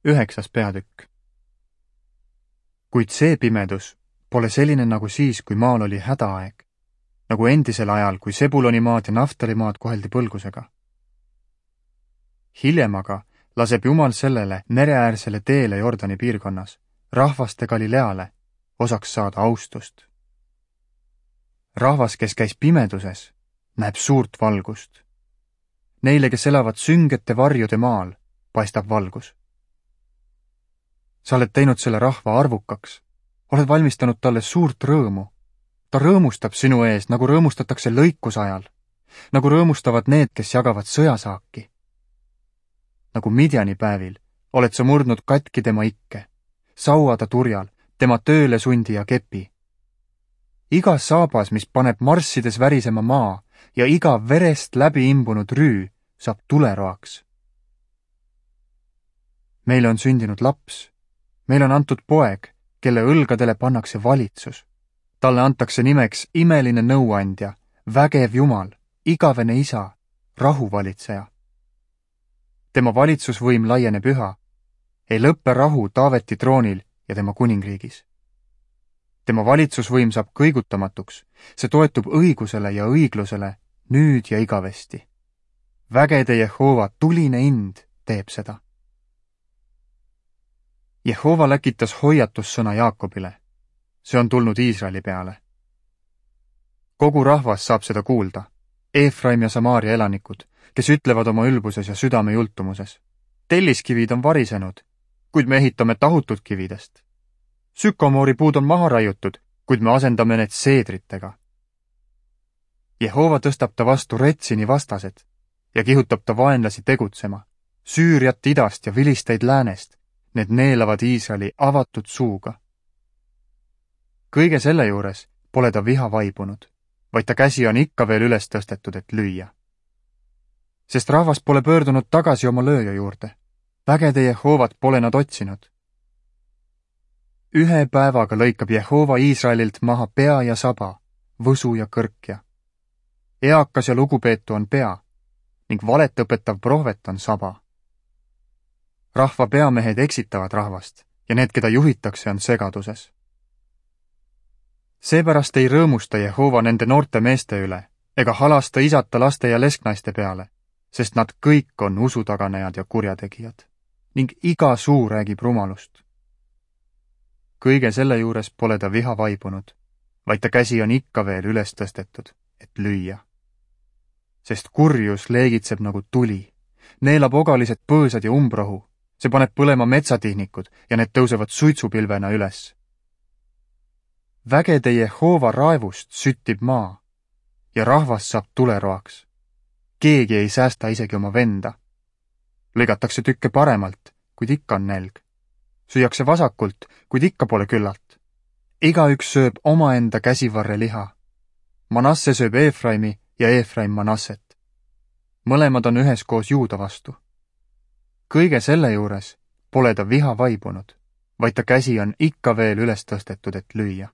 9. peatükk. Kuid see pimedus pole selline nagu siis, kui maal oli hädaaeg, nagu endisel ajal, kui Sebulonimaad ja Naftalimaad koheldi põlgusega. Hiljem aga laseb Jumal sellele mereäärsele teele Jordani piirkonnas, rahvaste Galileale, osaks saada austust. Rahvas, kes käis pimeduses, näeb suurt valgust. Neile, kes elavad süngete varjude maal, paistab valgus. Sa oled teinud selle rahva arvukaks, oled valmistanud talle suurt rõõmu. Ta rõõmustab sinu ees, nagu rõõmustatakse lõikusajal, nagu rõõmustavad need, kes jagavad sõjasaaki. Nagu Midjani päevil oled sa murdnud katki tema ikke, saua ta turjal, tema tööle sundi ja kepi. Iga saabas, mis paneb marssides värisema maa ja iga verest läbi imbunud rüü saab tuleroaks. Meile on sündinud laps, meil on antud poeg, kelle õlgadele pannakse valitsus. Talle antakse nimeks imeline nõuandja, vägev Jumal, igavene isa, rahuvalitseja. Tema valitsusvõim laieneb üha, ei lõppe rahu Taaveti troonil ja tema kuningriigis. Tema valitsusvõim saab kõigutamatuks, see toetub õigusele ja õiglusele nüüd ja igavesti. Vägede Jehova tuline ind teeb seda. Jehova läkitas hoiatussõna Jaakobile. See on tulnud Iisraeli peale. Kogu rahvas saab seda kuulda, Eefraim ja Samaaria elanikud, kes ütlevad oma ülbuses ja südame jultumuses. Telliskivid on varisenud, kuid me ehitame tahutud kividest. Sükomoori puud on maha raiutud, kuid me asendame need seedritega. Jehova tõstab ta vastu Retsini vastased ja kihutab ta vaenlasi tegutsema, Süüriat idast ja Filisteid läänest, need neelavad Iisraeli avatud suuga. Kõige selle juures pole ta viha vaibunud, vaid ta käsi on ikka veel üles tõstetud, et lüüa. Sest rahvas pole pöördunud tagasi oma lööja juurde, vägede Jehovat pole nad otsinud. Ühe päevaga lõikab Jehova Iisraelilt maha pea ja saba, võsu ja kõrkja. Eakas ja lugupeetu on pea ning valet õpetav prohvet on saba. Rahva peamehed eksitavad rahvast ja need, keda juhitakse, on segaduses. Seepärast ei rõõmusta Jehova nende noorte meeste üle ega halasta isata laste ja lesknaiste peale, sest nad kõik on usutaganejad ja kurjategijad ning iga suu räägib rumalust. Kõige selle juures pole ta viha vaibunud, vaid ta käsi on ikka veel üles tõstetud, et lüüa. Sest kurjus leegitseb nagu tuli, neelab ogalised põõsad ja umbrohu, see paneb põlema metsatihnikud ja need tõusevad suitsupilvena üles. Vägede Jehova raevust süttib maa ja rahvas saab tuleroaks. Keegi ei säästa isegi oma venda. Lõigatakse tükke paremalt, kuid ikka on nälg. Süüakse vasakult, kuid ikka pole küllalt. Igaüks sööb omaenda käsivarre liha. Manasse sööb Eefraimi ja Eefraim Manasset. Mõlemad on üheskoos Juuda vastu. Kõige selle juures pole ta viha vaibunud, vaid ta käsi on ikka veel üles tõstetud, et lüüa.